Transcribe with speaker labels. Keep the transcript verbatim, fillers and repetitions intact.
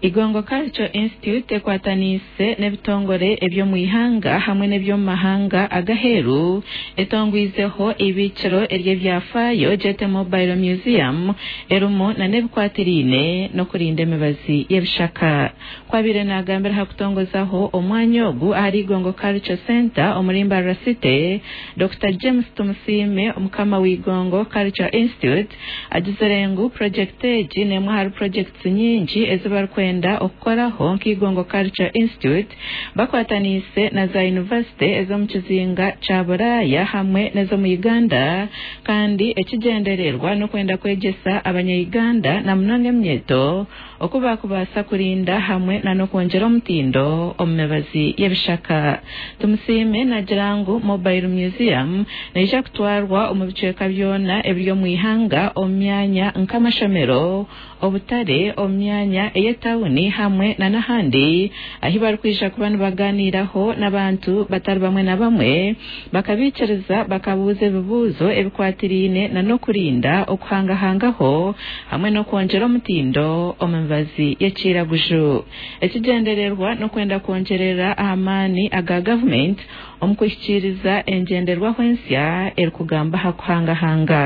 Speaker 1: Igongo Cultural Institute ekwataniise n'ebitongore eby'omu ihanga hamwe n'eby'omu mahanga ag'aheeru etongwizeho ibiikiro ery'ebyafaayo Jete Mobile Museum erimu n'ebikwatiriine n'okurinda emibazi y'ebishaka. Kwabaire naagambira aha kutongozaho omwanya ogu ahari Igongo Cultural Centre omuri Mbarara City, Dokita James Tumusiime omukama w'Igongo Cultural Institute agizire ngu purojekiti egi n'emwe ahari purojekiti nyingi ezi barikwenda okukoraho nk'Igongo Cultural Institute bakwataniise na za yunivasite ez'omu kizinga kya Buraaya hamwe n'ez'omu Uganda, kandi ekigyendererwa n'okwenda kwegyesa abanya-Uganda na munonga eminyeeto oku baakubaasa kurinda hamwe n'okwongyera omutindo omu mibazi y'ebishaka. Tumusiime naagira ngu Mobile Museum neija kutwarwa omu bicweka byona ebiri omu ihanga omu myanya nk'amashomero, obutare, omu myanya ey'etawuni hamwe n'ahandi ahi barikwija kuba nibaganiiraho n'abantu batari bamwe na bamwe bakabiikiriza bakabuuza ebibuuzo ebikwatiriine n'okurinda okuhangahangaho hamwe n'okwongyera omutindo omu mibazi y'ekiraguju. Ekigyendererwa n'okwenda kwongyerera aha maani aga gavumenti omu kuhikiiriza engyenderwaho ensya erikugamba aha kuhangahanga.